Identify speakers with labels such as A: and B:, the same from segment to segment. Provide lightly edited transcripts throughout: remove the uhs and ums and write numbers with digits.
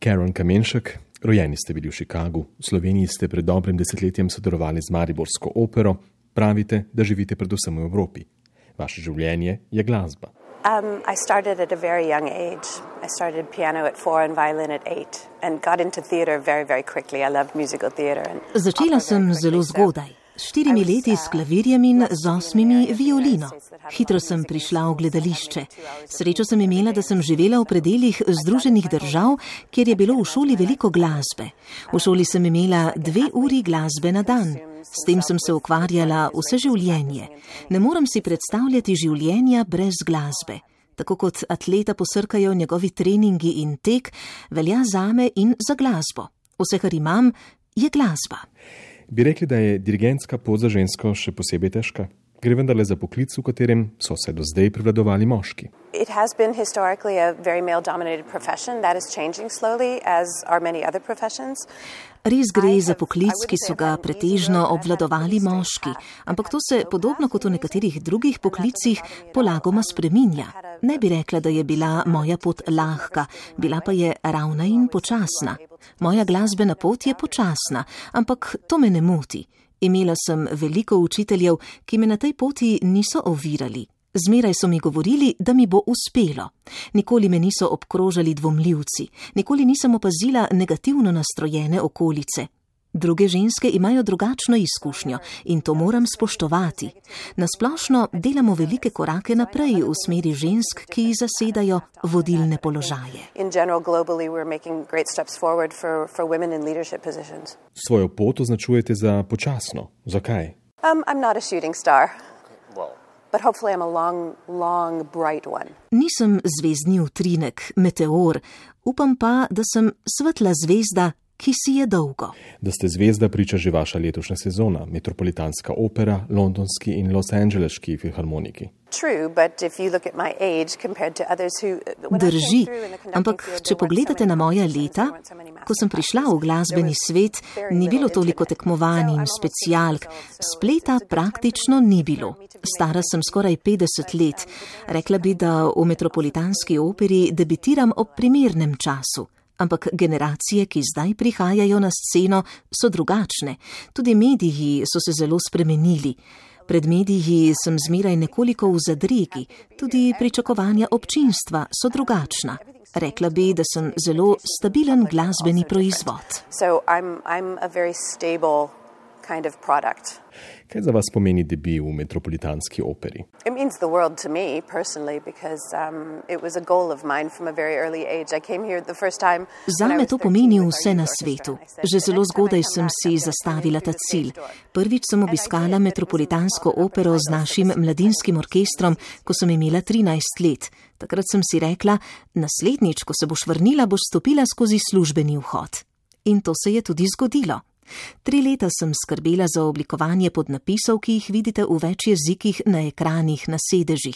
A: Karen Kamenšek, rojeni ste bili v Chicagu, v Sloveniji ste pred dobrim desetletjem sodelovali z Mariborsko opero, pravite, da živite predvsem v Evropi. Vaše življenje je glasba.
B: I started at a very young age. I started piano at 4 and violin at 8 and got into theater very, very quickly. I loved musical theater.
C: Začela sem zelo zgodaj. S 4 leti s klavirjem in z 8 violino. Hitro sem prišla v gledališče. Srečo sem imela, da sem živela v predeljih Združenih držav, kjer je bilo v šoli veliko glasbe. V šoli sem imela 2 uri glasbe na dan. S tem sem se ukvarjala vse življenje. Ne morem si predstavljati življenja brez glasbe. Tako kot atleta posrkajo njegovi treningi in tek, velja zame in za glasbo. Vse, kar imam, je glasba.
A: Bi rekli, da je dirigentska pot za žensko še posebej težka? Gre vendarle za poklic, v katerem so se do zdaj prevladovali moški.
B: It has been historically a very male-dominated profession. That is changing slowly, as are many other professions.
C: Res gre za poklic, ki so ga pretežno obvladovali moški, ampak to se, podobno kot v nekaterih drugih poklicih, polagoma spreminja. Ne bi rekla, da je bila moja pot lahka, bila pa je ravna in počasna. Moja glasbena pot je počasna, ampak to me ne moti. Imela sem veliko učiteljev, ki me na tej poti niso ovirali. Zmeraj so mi govorili, da mi bo uspelo. Nikoli me niso obkrožali dvomljivci, nikoli nisem opazila negativno nastrojene okolice. Druge ženske imajo drugačno izkušnjo in to moram spoštovati. Nasplošno delamo velike korake naprej v smeri žensk, ki zasedajo vodilne položaje.
A: Svojo pot označujete za počasno. Zakaj?
B: I'm not a shooting star. But hopefully I'm a long, long, bright one.
C: Nisem zvezdni utrinek, meteor, upam pa, da sem svetla zvezda, ki si je dolgo.
A: Da ste zvezda, priča že vaša letošnja sezona, Metropolitanska opera, Londonski in Los Angeleški filharmoniki.
C: Drži, ampak če pogledate na moja leta, ko sem prišla v glasbeni svet, ni bilo toliko tekmovanj in specialk, spleta praktično ni bilo. Stara sem skoraj 50 let, rekla bi, da v Metropolitanski operi debitiram ob primernem času. Ampak generacije, ki zdaj prihajajo na sceno, so drugačne. Tudi mediji so se zelo spremenili. Pred mediji sem zmeraj nekoliko v zadregi, tudi pričakovanja občinstva so drugačna. Rekla bi, da sem zelo stabilen glasbeni proizvod.
A: Kaj za vas pomeni debi v Metropolitanski operi?
B: It means the world to me personally because it was a goal of mine from a very early age. I came here the first time.
C: Zame to pomeni vse na svetu. Že zelo zgodaj sem si zastavila ta cilj. Prvič sem obiskala Metropolitansko opero z našim mladinskim orkestrom, ko sem imela 13 let. Takrat sem si rekla, naslednjič, ko se boš vrnila, boš stopila skozi službeni vhod. In to se je tudi zgodilo. 3 leta sem skrbela za oblikovanje podnapisov, ki jih vidite v več jezikih na ekranih, na sedežih.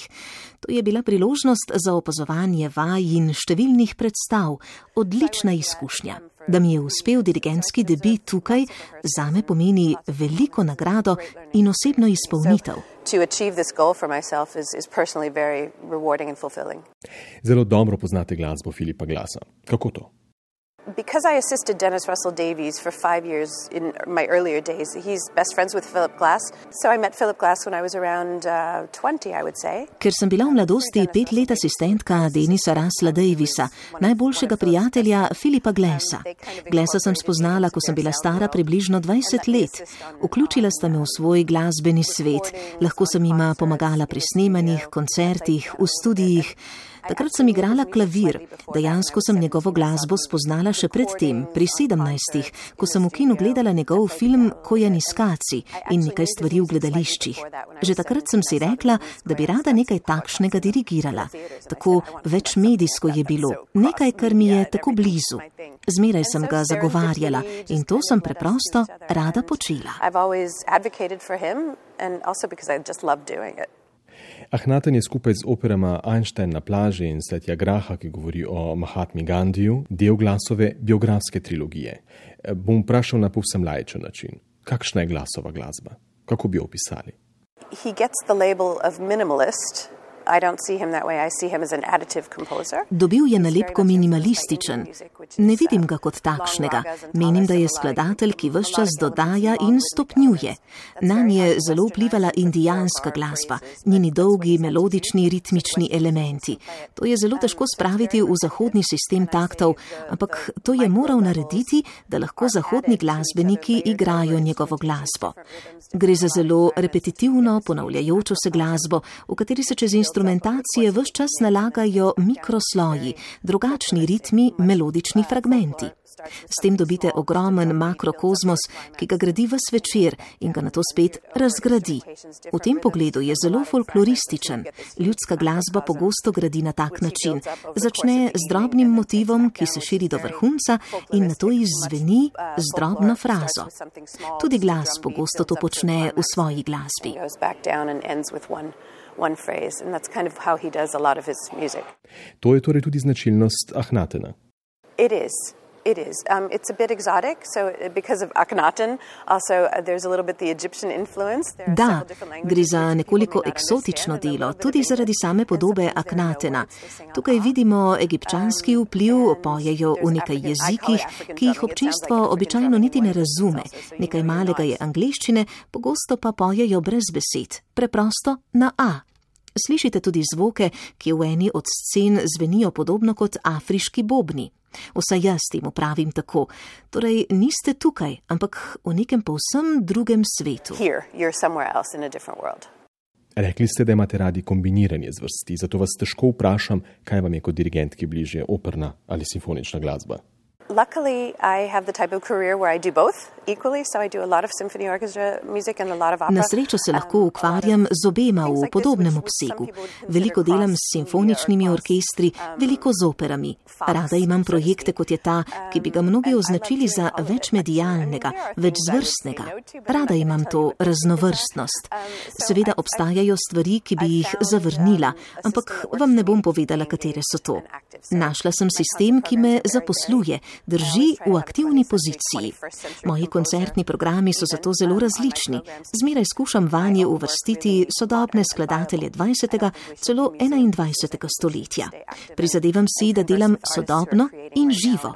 C: To je bila priložnost za opazovanje vaj in številnih predstav, odlična izkušnja. Da mi je uspel dirigentski debi tukaj, zame pomeni veliko nagrado in osebno izpolnitev.
A: Zelo dobro poznate glasbo Philipa Glassa. Kako to?
B: Because I assisted Dennis Russell Davies for 5 years in my earlier days, he's best friends with Philip Glass. So I met Philip Glass when I was around 20, I would say.
C: Ker sem bila v mladosti 5 let asistentka Dennisa Russella Daviesa, najboljšega prijatelja Philipa Glassa. Glassa sem spoznala, ko sem bila stara približno 20 let. Vključila sta me v svoj glasbeni svet. Lahko sem jima pomagala pri snemanjih, koncertih, v studijih. Takrat sem igrala klavir. Dejansko sem njegovo glasbo spoznala še predtem, pri 17, ko sem v kinu gledala njegov film Kojaniskaci in nekaj stvari v gledališčih. Že takrat sem si rekla, da bi rada nekaj takšnega dirigirala. Tako večmedijsko je bilo, nekaj, kar mi je tako blizu. Zmeraj sem ga zagovarjala in to sem preprosto rada počela.
A: Ahnaten je skupaj z operama Einstein na plaži in Satyagraha, ki govori o Mahatmi Gandhiju, del Glassove biografske trilogije. Bom vprašal na povsem laičen način. Kakšna je Glassova glasba? Kako bi jo opisali?
B: He gets the label of minimalist. I don't see him that way. I see him as an additive composer.
C: Dobil je nalepko minimalističen. Ne vidim ga kot takšnega. Menim, da je skladatelj, ki ves čas dodaja in stopnjuje. Nanj je zelo vplivala indijanska glasba, njeni dolgi, melodični, ritmični elementi. To je zelo težko spraviti v zahodni sistem taktov, ampak to je moral narediti, da lahko zahodni glasbeniki igrajo njegovo glasbo. Gre za zelo repetitivno, ponavljajočo se glasbo, v kateri se čez instrumentacije ves čas nalagajo mikrosloji, drugačni ritmi, melodični fragmenti. S tem dobite ogromen makrokozmos, ki ga gradi ves večer in ga nato spet razgradi. V tem pogledu je zelo folklorističen. Ljudska glasba pogosto gradi na tak način. Začne z drobnim motivom, ki se širi do vrhunca in nato izzveni z drobno frazo. Tudi glas pogosto to počne v svoji glasbi.
A: To je torej tudi značilnost Akhnatena.
B: It is. It's a bit exotic, so because of Akhenaten, also there's a little bit the Egyptian influence.
C: Da, gre za nekoliko eksotično delo, tudi zaradi same podobe Akhnatena. Tukaj vidimo egipčanski vpliv, pojejo v nekaj jezikih, ki jih občinstvo običajno niti ne razume. Nekaj malega je angleščine, pogosto pa pojejo brez besed, preprosto na A. Slišite tudi zvoke, ki v eni od scen zvenijo podobno kot afriški bobni. Vsaj jaz temu pravim tako. Torej, niste tukaj, ampak v nekem povsem drugem svetu.
A: Rekli ste, da imate radi kombiniranje zvrsti, zato vas težko vprašam, kaj vam je kot dirigentki bližje, operna ali simfonična glasba.
B: Luckily, I have the type of career where I do both equally, so I do a lot of symphony orchestra music and a lot of opera.
C: Na srečo se lahko ukvarjam z obema v podobnem obsegu. Veliko delam s simfoničnimi orkestri, veliko z operami. Rada imam projekte, kot je ta, ki bi ga mnogi označili za večmedialnega, večzvrstnega. Rada imam to raznovrstnost. Seveda obstajajo stvari, ki bi jih zavrnila, ampak vam ne bom povedala, katere so to. Našla sem sistem, ki me zaposluje, drži v aktivni poziciji. Moji koncertni programi so zato zelo različni. Zmeraj skušam vanje uvrstiti sodobne skladatelje 20., celo 21. stoletja. Prizadevam si, da delam sodobno in živo.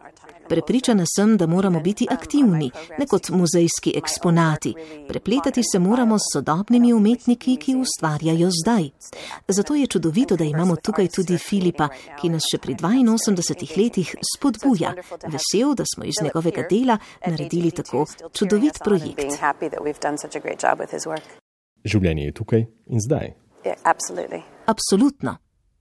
C: Prepričana sem, da moramo biti aktivni, ne kot muzejski eksponati. Prepletati se moramo s sodobnimi umetniki, ki ustvarjajo zdaj. Zato je čudovito, da imamo tukaj tudi Filipa, ki nas še pri 82 letih spodbuja. Vesel, da smo iz njegovega dela naredili tako čudovit projekt.
A: Življenje je tukaj in zdaj.
B: Absolutno.
C: Absolutno.